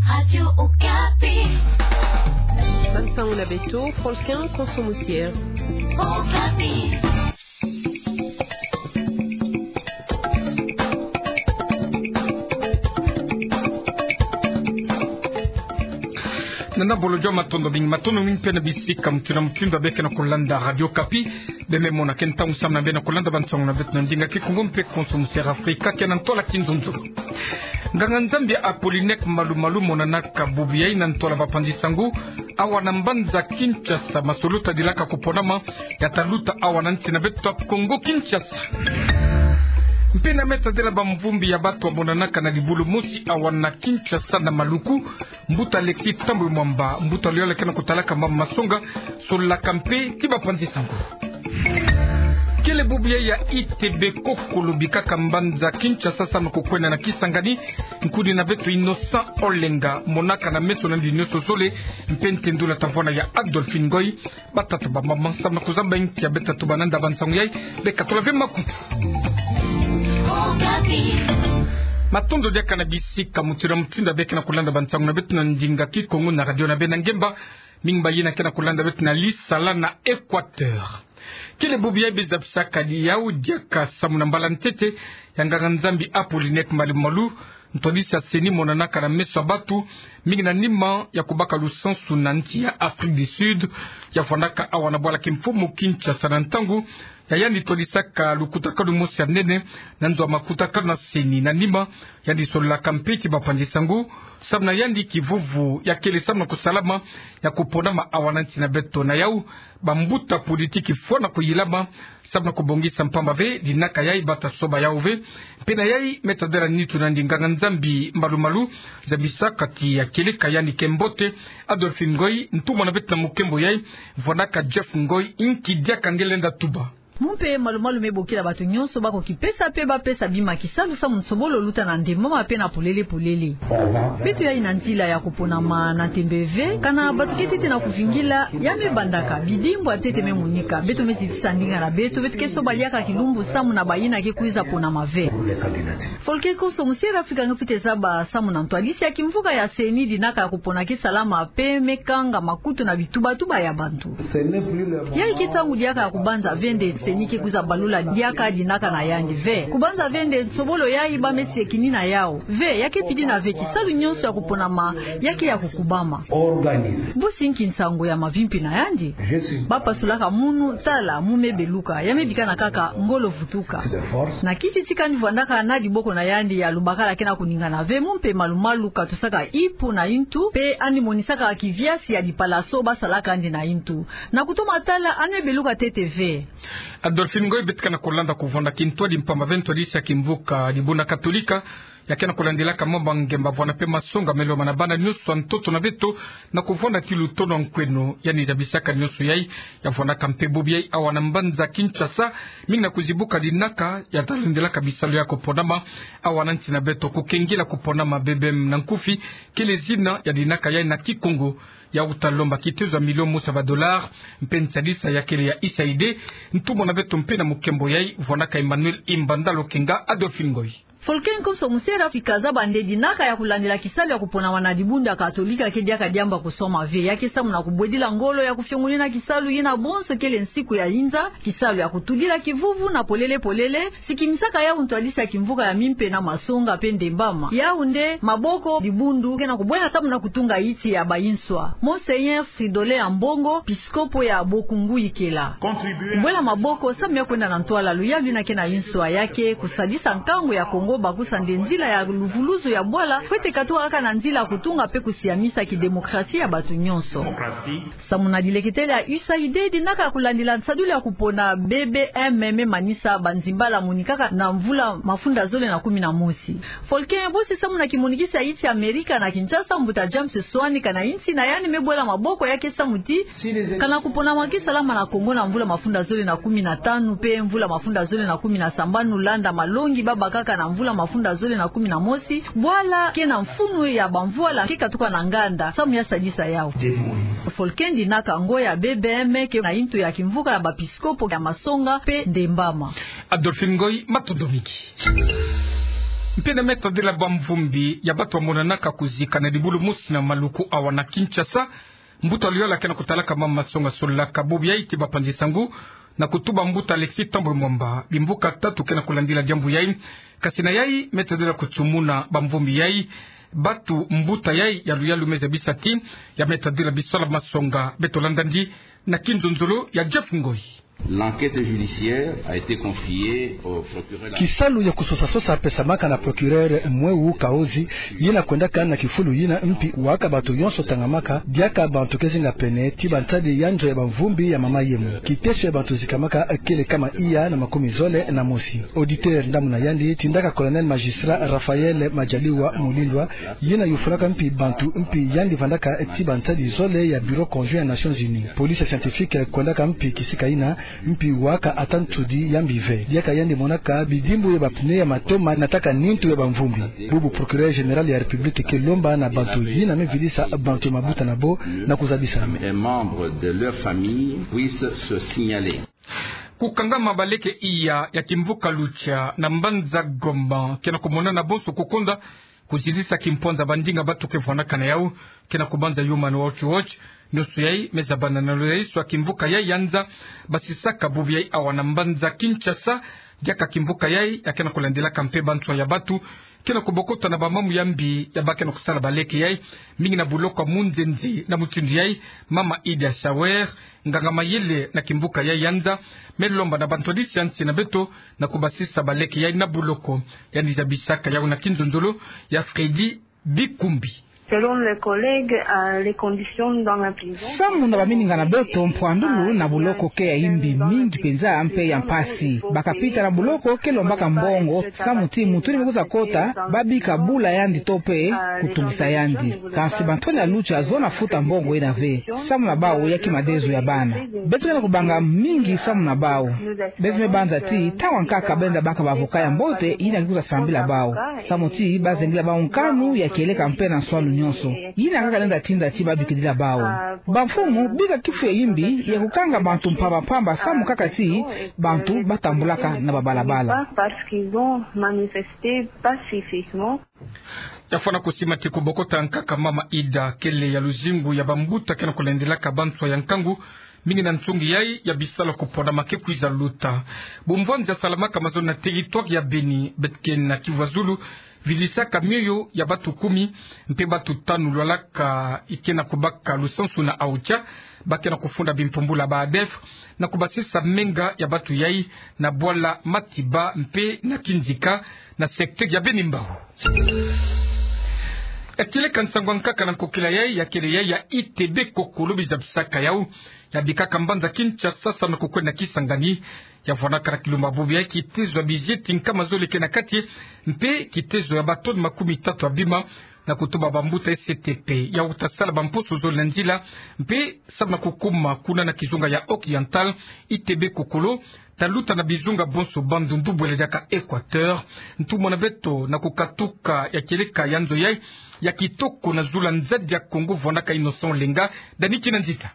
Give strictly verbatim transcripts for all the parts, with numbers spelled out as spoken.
Radio Okapi. Bansango na beto, Folkin Konso Musiere. Okapi. Nana bolo jua matondo mingi, matondo mingi mpe na bisika mutindu na mutindu ya beke na kulanda Radio Okapi. Bembe mona ke ntangu samu na bê na kulanda bansango na beto na ndinga Kikongo mpe Konso Musiere Afrika ke na ntwala Kinzonzolo. Nganga-Nzambi Apollinaire Malu-Malu monanaka bubu yai na ntwala bapanzi sango awa na mbanza Kinshasa, masolo tadilaka kuponama ya taluta awa na nsi na beto Kongo Kinshasa. Mpe na meta dela bamvumbi ya bato bamonanaka na libulu mosi awa na Kinshasa na Maluku, Mbuta Alexis Thambwe Mwamba, mbuta luyala ke na kutalaka mama masonga, sololaka mpe ti bapanzi sango. Kele bubu yai ya I T B kokolo bikaka mbanza Kinshasa samu na kukwenda na Kisangani, nkudi na beto Innocent Olenga, monaka na meso na yandi nyonso zole, mpe ntendula tavwanda ya Adolphine Ngoy, batata bamama samu na kuzaba nki ya beta tuba na nda bansango yai, bekatula ve makutu. Matondo diaka na bisika mutindu na mutindu ya beke na kulanda bansango na beto na ndinga Kikongo na radio na bê na ngemba, mingi bayina ke na kulanda beto na lisala na Equateur. Kele bubu yai bezabisaka yau diaka samu na mbala ntete ya nganga-Nzambi Apollinaire Malu-Malu, ntwadisi ya CENI monanaka na meso ya bato, mingi na nima ya kubaka lusansu na nsi ya Afrique du Sud, ya vwandaka awa na bwala kimfumu Kinshasa na ntangu ya yandi twadisaka lukutakanu mosi ya nene na nzo ya makutakanu na CENI. Na nima, yandi sololaka mpe ti bapanzi sango samu na yandi kivuvu ya kele samu na kusalama ya kuponama awa na nsi na beto. Na yau, bambuta politiki fwana kuyilama samu na kubongisa mpamba ve dinaka yai bata soba yau ve. Mpe na yai meta dela nitu na yandi nganga-Nzambi Malu-Malu zabisaka ti ya kieleka yandi ke mbote. Adolphine Ngoy, ntumwa na beto na mukembo yai, vwandaka Jeff Ngoy, nki diaka nge lenda tuba? Mu mpe Malu-Malu me bokila bato nyonso bako kipesa mpe bapesa bima kisalu samu nsobolo luta na ndembama mpe na polele polele. Beto yai na nzila ya kuponama na ntembe ve, kana bato ke ntete na kuvingila, ya me bandaka bidimbu ya ntete me monika. Beto me zitisa ndinga na beto, beto ke soba liaka kilumbu samu na bayina ke kwiza ponama ve. Folke Konso Musiere Afrika, nge fwete zaba samu na ntwadisi ya kimvuka ya CENI dinaka ya kupona ke salama mpe me kanga makutu na bitubatuba ya bantu. Yai ke ntangu diaka ya kubanza ve nde CENI ke kwiza balula diaka dinaka na yandi ve. Kubanza ve nde nsobolo yai bameseki ni na yau ve, ya ke pidina ve kisalu nyonso ya kuponama ya ke ya kukubama. Bosi nki nsangu ya mavimpi na yandi? Bapasulaka munu, tala, mu me beluka, ya me bikana kaka ngolo vutuka. Na kiti ti kani vwandaka na diboko na yandi ya lubakala ke na kuningana ve, mu mpe Malu-Malu katusaka ipu na intu, mpe yandi monisaka kiviasi ya dipalaso basalaka yandi na intu. Na kutoma tala, yandi me beluka ntete ve. Adolphine Ngoy, beto ke na kulanda kuvwanda kintwadi mpamba ve ntwadisi ya kimvuka dibundu katolika, ya ke na kulandilaka mwa bangemba vwanda mpe masonga me lomana bana nyonso ya ntoto na beto na kuvwanda ti lutono ya nkweno. Yandi zabisaka nyonso yai ya vwandaka mpe bubu yai awa na mbanza Kinshasa, mingi na kuzibuka dinaka ya talandilaka bisalu ya kuponama awa na nsi na beto. Kukengela kuponama, B B M na nkufi, kele zina ya dinaka yai na Kikongo. Ya uta lomba kitezo ya milio mosi ya ba dollars, mpe nsadisa ya kele ya U S A I D. Ntumwa na beto mpe na mukembo yai, vwandaka Emmanuel Imbanda Lokenga. Adolphine Ngoy. Folke Konso Musiere Afrika, zaba nde dinaka ya kulandila kisalu ya kuponama na dibundu ya katolika ke diaka diamba kusoma ve, ya ke samu na kubwedila ngolo ya kufiongunina kisalu yina bonso kele nsiku ya inza, kisalu ya kutudila kivuvu na polele polele, sikimisaka yau ntwadisi ya kimvuka ya mimpe na masonga mpe ndembama. Yau nde maboko dibundu ke na kubwena samu na kutunga yiti ya bayinswa. Monseigneur Fridolin Ambongo, piskopo ya Bokungu-Ikela. Kubwela maboko samu ya kwenda na ntwala luyalu yina ke na yinswa ya ke kusadisa nkangu ya Kongo bakusa nde nzila ya luvuluzu ya bwala, fwete katuka kaka na nzila ya kutunga mpe kusiamisa kidemokrasi ya bato nyonso. Samu na dileketele ya U S A I D, dinaka ya kulandila nsadulu ya kupona B B M me manisa banzimbala monikaka na mvula mafunda zole na kumi na mosi. Folke, bosi samu na kimonikisi ya yiti Amerika na Kinshasa, mbuta James Swan, kana yinsi na yandi me bwela maboko ya ke samu ti kana kuponama ke salama na Kongo na mvula mafunda zole na kumi na tanu mpe mvula mafunda zole na kumi na sambanu, landa malongi babakaka na mvula mafunda zole na kumi na mosi, bwala ke na mfunu ya bamvwala ke katuka na nganda samu ya sadisa yau. Folke, dinaka ngo ya B B M ke na yintu ya kimvuka ya bapiskopo ya masonga mpe ndembama. Adolphine Ngoy, matondo mingi. Mpe na me tadila bamvumbi ya batu wamonanaka kuzika na dibulu mosi na maluku awa na Kinshasa, mbuta luyala ke na kutalaka mama Songa Sola Kabubi yai ti bapanzi-nsangu, na kutuba mbuta Alexis Thambwe Mwamba bimvuka tatu ke na kulandila diambu yai. Kasi na yai me tadila kutsumuna bamvumbi yai, batu mbuta yai ya luyalu me zabisa ti ya me tadila bisala masonga. Beto landa ndi na kinzonzolo ya Jeff Ngoyi. L'enquête judiciaire a été confiée au procureur. Kisalu ya kusosa-sosa pesamaka na procureur Mweu Kaozi, yina kwendaka na kifulu yina mpi waka bantu yonso tangamaka, diaka bantu ke zinga pene ti bansadi ya nzo ya bamvumbi ya mama Yemo. Kiteso ya bantu zikamaka kele kama iya na makumi zole na mosi. Auditeur ndambu na yandi tindaka colonel magistrat Raphaël Majaliwa Mulindwa, yina yufunaka mpi bantu mpi yandi vandaka ti bansadi zole ya Bureau Conjoint ya Nations Unies. Police scientifique kwendaka mpi kisika yina, mpi waka ata nsudi ya mbi ve. Diaka yandi monaka bidimbu ya bapneu ya matoma nataka nintu ya bamvumbi. Bubu procureur général ya République ke lomba na bantu yina me vidisa bantu ya mabuta na bo na kuzabisa. Un membre de leur famille puisse se signaler. Kukangama baleke iya ya kimvuka Lucha na mbanza Goma ke na kumonana bonso kukonda kuzizisa kimpwanza bandinga batu ke vwanakana yau, ke na kubanza Human Rights Watch. Nionso yai me zabana na luzayiswa kimvuka yai ya nza basisaka bubu yai awa na mbanza Kinshasa. Diaka kimvuka yai ya ke na kulandilaka mpe banswa ya batu ke na kubokota na bamambu ya mbi ya ba ke na kusala baleke yai, mingi na buloko ya munzenze. Na mutindu yai, mama Ida Shawer, nganga-mayele na kimvuka yai ya nza, me lomba na bantwadisi ya nsi na beto na kubasisa baleke yai na buloko. Yandi zabisaka yau na kinzonzolo ya Freddy Bikumbi. Selon les collègues, euh, les conditions dans la prison. Samu na bamininga na beto, mpwandulu na buloko ke ya imbi mingi mpenza mpe ya mpasi. Bakapita na buloko ke lombaka mbongo, samu ti muntu ni me kwiza kota, babika bula yandi to mpe kutungisa yandi. Kansi bantwenia Lucha zona futa mbongo yina ve. Samu na bau ya ki madezo ya bana. Beto ke na kubanga mingi samu na bau. Beto me banza ti, ntangu ya nkaka benda baka bavocat ya mbote, yina ke kwiza sambila bau. Samu ti, bazengila bau nkanu ya kieleka mpe na nswalu nionso. Yina kaka lenda tinda ti babikidila bau. Bamfumu, bika kifu ya imbi, ya kukanga bantu mpamba-mpamba samu kaka ti, bantu batambulaka na babalabala. Parce qu'ils ont manifesté pacifiquement. Ya fwana kusima ti kubokota nkaka mama Ida kele ya luzingu ya bambuta ke na kulandilaka banswa ya nkangu, mingi na nsungi yai ya bisalu kupona ma ke kwiza luta. Bumvwanza salamaka mazolo na territoire ya Beni, beto ke na Kivu ya Zulu, vidisaka mioyo ya batu kumi, mpe batu tanu lwalaka ke na kubaka lusansu na Aocha, ba ke na kufunda bimpumbulu ya ba ADF, na kubasisa menga ya batu yai, na bwala Matiba, mpe na Kinzika, na secteur ya Beni Mbau. Ya kieleka nsangu ya nkaka na nkokila yai, ya kele yai ya I T B Kokolo bizabisaka yau, ya bikaka mbanza Kinshasa samu na kukwenda Kisangani. Ya vwanaka na kilumbu bubu yai kitezo ya bizieti nkama zole ke na kati, mpe kitezo ya batoni makumi tatu ya bima, na kutuba bambuta S T P, ya uta sala bamposo zole na nzila, mpe samu na kukuma kuna na kizunga ya Occidental. I T B Kokolo ta luta na bizunga bonso Bandundu, Bwele, diaka Equateur. Ntumwa na beto na kukatuka ya kieleka ya nzo yai ya kitoko na zulu ya nzadi ya Kongo vwanaka Innocent Olenga, Dani Kinanzita.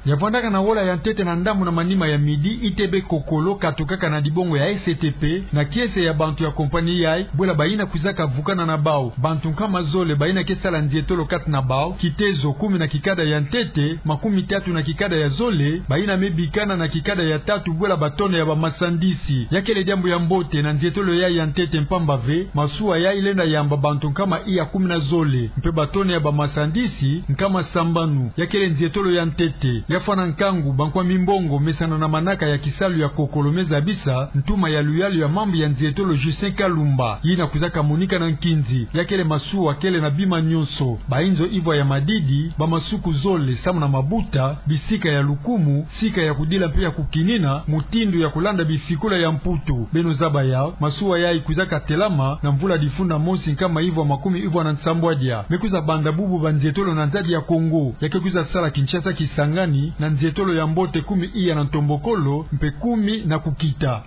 Ya vwandaka na wola ya ntete na ndambu na manima ya midi, I T B Kokolo katukaka na dibongo ya S T P, na kiese ya bantu ya compagnie yai, bwela bayina kwizaka vukana na bau. Bantu nkama zole bayina ke sala nzietolo kati na bau, kitezo kumi na kikada ya ntete, makumi tatu na kikada ya zole, bayina me bikana na kikada ya tatu bwela batone ya bamasandisi. Ya kele diambu ya mbote na nzietolo yai ya ntete mpamba ve, masuwa yai lenda yamba bantu nkama iya kumi na zole, mpe batone ya bamasandisi nkama sambanu. Ya kele nzietolo ya ntete. Ya fwana nkangu, bankwa mimbongo mesana na manaka ya kisalu ya Kokolo me zabisa, ntuma ya luyalu ya mambu ya nzietolo Justin Kalumba, yina kwizaka monika na nkinzi. Ya kele masuwa kele na bima nionso, bainzo ivwa ya madidi, bamasuku zole samu na mabuta, bisika ya lukumu, sika ya kudila mpe ya kukinina, mutindu ya kulanda bifikula ya Mputu. Beno zaba yau, masuwa yai kwizaka telama na mvula difunda mosi nkama ivwa makumi ivwa na nsambwadia. Me kwiza banda bubu banzietolo na nzadi ya Kongo. Ya ke kwiza sala Kinshasa, Kisangani, na nzietolo ya mbote kumi iya na ntombokolo, mpe kumi na kukita.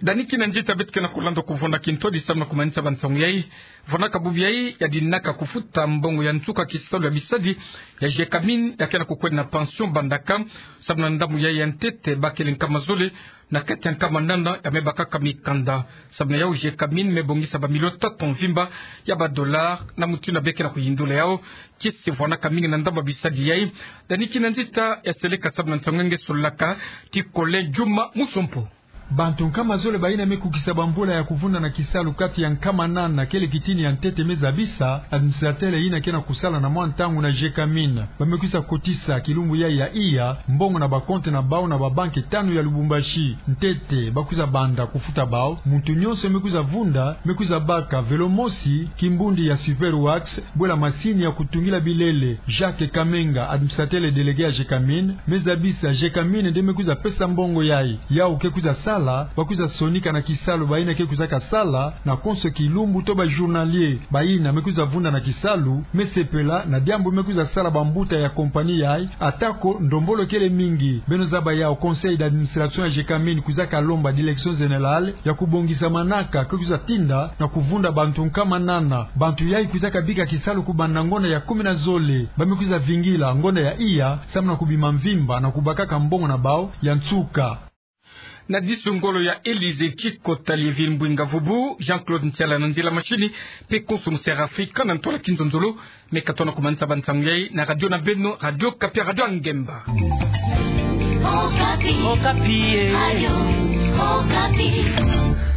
Dani kina nzita beto ke na kulando kuvwanda kintwadi samu na kumanisa bansangu yai. Vwanaka bubu yai ya dinaka kufuta mbongo ya nsuka kisalu ya bisadi ya Gécamines ya ke na kukwenda na pension bandaka samu na ndambu yai ya ntete bakele nkama zole na kati ya nkama nana ya me bakaka mikanda. Samu na yau Gécamines me bongisa ba millions tatu mvimba ya ba dollars na mutindu ya be ke na kuyindula yau. Kiese vwanaka mingi na ndambu ya bisadi yai. Dani kina nzita ya seleka samu na nsangu nge solaka ti Collin Djuma Musompo. Bantu nkama zole bayina me kukisa bambula ya kuvunda na kisalu kati ya nkama nana kele kitini ya ntete me zabisa administrateur yina ke na kusala na mwa ntangu na Gécamines. Ba me kwiza kotisa kilumbu yai ya iya mbongo na ba compte na bau na ba banque tanu ya Lubumbashi. Ntete ba kwiza banda kufuta bau, muntu nyonso me kwiza vunda me kwiza baka velo mosi, kimbundi ya Super Wax, bwela masini ya kutungila bilele. Jacques Kamenga, administrateur délégué ya Gécamines, me zabisa Gécamines nde me kwiza pesa mbongo yai. Yau ke kwiza sala, ba kwiza sonika na kisalu bayina ke kwizaka sala na konso kilumbu to ba journaliers. Bayina me kwiza vunda na kisalu me sepela na diambu me kwiza sala bambuta ya compagnie yai, atako ndombolo kele mingi. Beno zaba yau, conseil d'administration ya Gécamines kwizaka lomba direction générale ya kubongisa manaka ke kwiza tinda na kuvunda bantu nkama nana. Bantu yai kwizaka bika kisalu kubanda ngonda ya kumi na zole, ba me kwiza vingila ngonda ya iya samu na kubima mvimba na kubakaka mbongo na bau ya nsuka. Na disu ngolo ya Élysée Tchicot, Liéville Mbouinga Vubu, Jean-Claude Ntiala na nzila machine, mpe konso mu Sud Africa na ntola kinzonzolo. Me katona kumanisa bansangu yai na radio na beno, Radio Okapi, radio ya ngemba. Okapi. Okapi, eh. Radio Okapi.